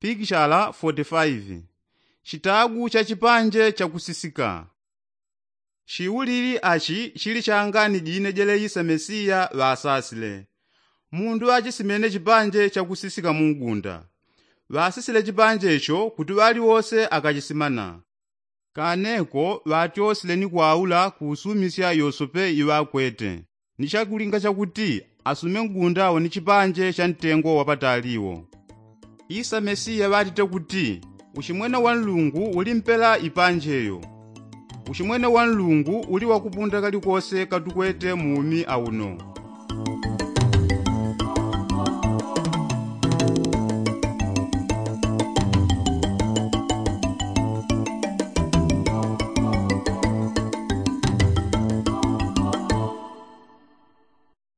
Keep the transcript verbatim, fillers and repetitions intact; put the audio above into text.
Pikishala foti faivi. Chitagu cha chipanje chakusisika. Chiulili achi chili changani jine jeleisa mesiya ŵasasile. Mundu ŵachisimene chipanje chakusisika mu ngunda. Ŵasisile chipanje icho kuti ŵaliwose akachisimana. Kaneko ŵatyosile ni kwaula kuusumisya yosope iŵakwete, ni chakulinga chakuti asume ngunda wo ni chipanje cha ntengo wapatali wo. Isa mesiya ŵatite kuti, uchimwene wa nlungu uli mpela ipanje yo. Uchimwene wa nlungu uli wakupunda kalikose katukwete mu umi auno.